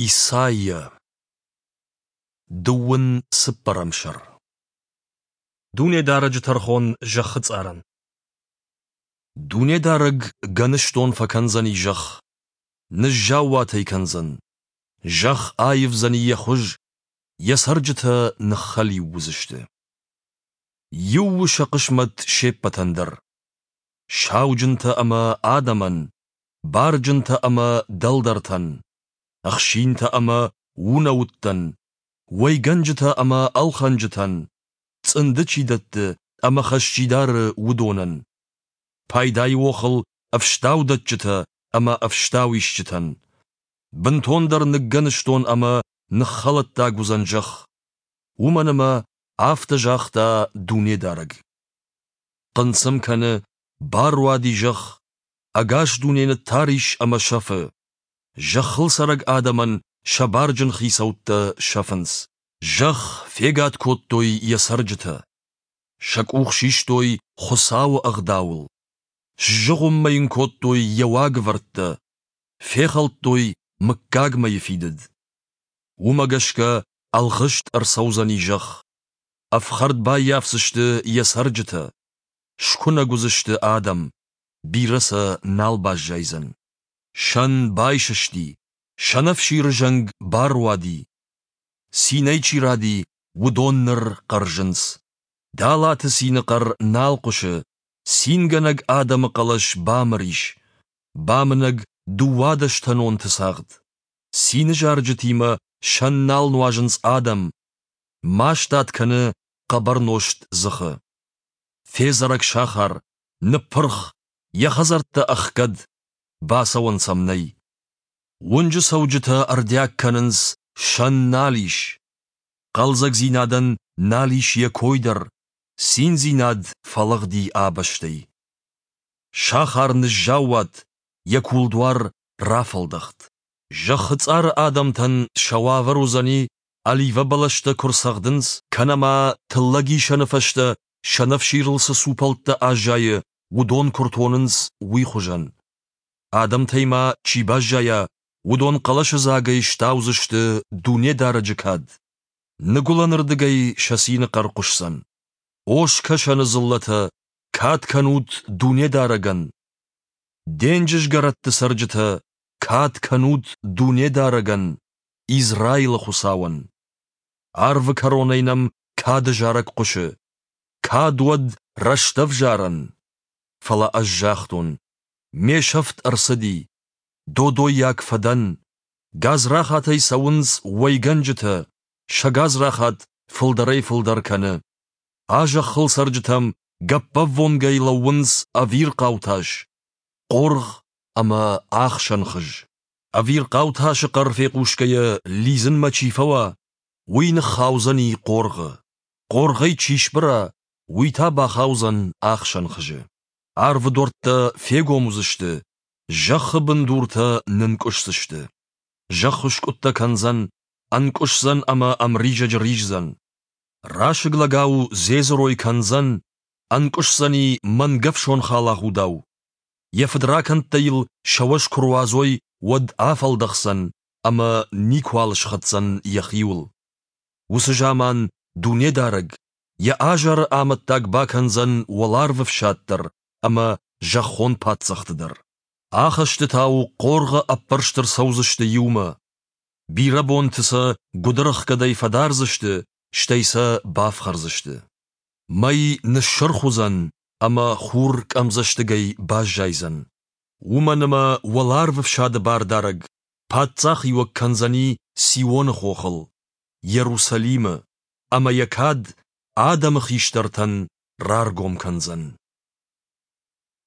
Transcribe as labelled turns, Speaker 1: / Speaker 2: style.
Speaker 1: Исайа. Дыууын цыппӕрӕм сӕр. Дунедарӕджы тӕрхон зӕххы цъарӕн. Дунедарӕг гӕныстон фӕкӕндзӕни зӕхх, ныззаууат ӕй кӕндзӕн. Зӕхх аивдзӕни йӕ хуыз, йӕ цӕрджытӕ ныххӕлиу уыдзысты. Иу у сӕ хъысмӕт се ппӕтӕн дӕр. Сауджынтӕ ӕмӕ адӕмӕн, барджынтӕ ӕмӕ дӕлдӕртӕн, ӕхсинтӕ ӕмӕ унӕуттӕн, уӕйгӕнджытӕ ӕмӕ ӕлхӕнджытӕн, цъынды чи дӕтты ӕмӕ хӕс чи дары, уыдонӕн, пайдайы охыл ӕфстаудӕтджытӕ ӕмӕ ӕфстауисджытӕн. Бынтондӕр ныггӕныстон ӕмӕ ныххӕлӕттаг уыдзӕн зӕхх, уымӕн ӕмӕ афтӕ загъта Дунедарӕг. Хъынцъым кӕны, баруади зӕхх, ӕгас дуне ныттар ис ӕмӕ сӕфы. Зӕххыл цӕрӕг адӕмӕн сӕ барджын хицӕуттӕ сӕфынц. Зӕхх фегад кодтой йӕ цӕрджытӕ. Сӕ къух систой Хуыцауы ӕгъдауыл. Сзыгъуыммӕ йын кодтой йӕ уагӕвӕрдтӕ, фехӕлдтой мыггагмӕйы фидыд. Уымӕ гӕсгӕ ӕлгъыст ӕрцӕудзӕни зӕхх. Ӕфхӕрд баййафдзысты йӕ цӕрджытӕ. Скуынӕг уыдзысты адӕм, бирӕ сӕ нал баззайдзӕн. Сӕн байсысти, сӕнӕфсиры зӕнг баруади. Цинӕй чи ради, уыдон ныр хъӕрзынц. Далаты цины хъӕр нал хъуысы, цингӕнӕг адӕмы хъӕлӕс бамыр ис. Бамынӕг дыууадӕстӕнонты цагъд. Цины зарджытимӕ сӕн нал нуазынц адӕм, мастад кӕны хъӕбӕр нозт дзыхы. Федзӕрӕг сахар, ныппырх, йӕ хӕдзӕрттӕ ӕхгӕд, бацӕуӕн сӕм нӕй. Уынджы цӕуджытӕ ӕрдиаг кӕнынц, сӕн нал ис. Хъӕлдзӕгдзинадӕн нал ис йӕ кой дӕр, циндзинад фӕлыгъди а бӕстӕй. Сахар ныззаууат, йӕ кулдуар рафӕлдӕхт. Зӕххы цъары адӕмтӕн сӕ уавӕр уыдзӕни, оливӕ бӕлӕстӕ куы рцӕгъдынц, кӕнӕ ма тыллӕгисӕны фӕстӕ сӕнӕфсирыл цы цупӕлттӕ аззайы, уыдон куы ртонынц, уый хуызӕн. Адӕмтӕй ма чи баззайа, уыдон хъӕлӕсыдзагӕй стаудзысты Дунедарӕджы кад. Ныгуылӕнырдыгӕй сӕ цины хъӕр хъуысдзӕн. О скӕсӕны дзыллӕтӕ, кад кӕнут Дунедарӕгӕн! Денджызгӕрӕтты цӕрджытӕ, кад кӕнут Дунедарӕгӕн, Израилы Хуыцауӕн! Арвы кӕронӕй нӕм кады зарӕг хъуысы. Кад уӕд рӕстӕвзарӕн! Фӕлӕ ӕз загътон: Ме сӕфт ӕрцыди, додойаг фӕдӕн, гадзрахатӕй цӕуынц уӕйгӕнджытӕ, сӕ гадзрахат фылдӕрӕй-фылдӕр кӕны. А зӕххыл цӕрджытӕм гӕппӕввонгӕй лӕууынц ӕвирхъау тас, хъоргъ ӕмӕ ӕхсӕн хыз. Ӕвирхъау тасы хъӕр фехъусгӕйӕ лидзынмӕ чи фӕуа, уый ныххаудзӕни хъоргъы. Хъоргъӕй чи сбыра, уый та бахаудзӕн ӕхсӕн хызы. Арвы дуӕрттӕ фегом уыдзысты, зӕххы бындуртӕ нынкъуысдзысты. Зӕхх скъуыдтӕ кӕндзӕн, ӕнкъуысдзӕн ӕмӕ ӕмризӕджы риздзӕн. Расыг лӕгау дзедзырой кӕндзӕн, ӕнкъуысдзӕни мӕнгӕфсон халагъудау. Йӕ фыдракӕндтӕ йыл сӕ уӕз куы руадзой, уӕд афӕлдӕхдзӕн ӕмӕ никуал схӕцдзӕн йӕхиуыл. Уыцы заман Дунедарӕг йӕ азары амӕттаг бакӕндзӕн уӕларвы фсад дӕр ӕмӕ зӕххон паддзӕхты дӕр. Ахӕстытау хъоргъы ӕппӕрст ӕрцӕудзысты иумӕ. Бирӕ бонты сӕ гуыдырӕхгӕдӕй фӕдардзысты, стӕй сӕ бафхӕрдзысты. Мӕй ныссырх уыдзӕн ӕмӕ хур къӕмдзӕстыгӕй баззайдзӕн. Уымӕн ӕмӕ уӕларвы фсады бардарӕг паддзахиуӕг кӕндзӕни Сионы хохыл, Иерусалимы, ӕмӕ йӕ кад адӕмы хистӕртӕн раргом кӕндзӕн.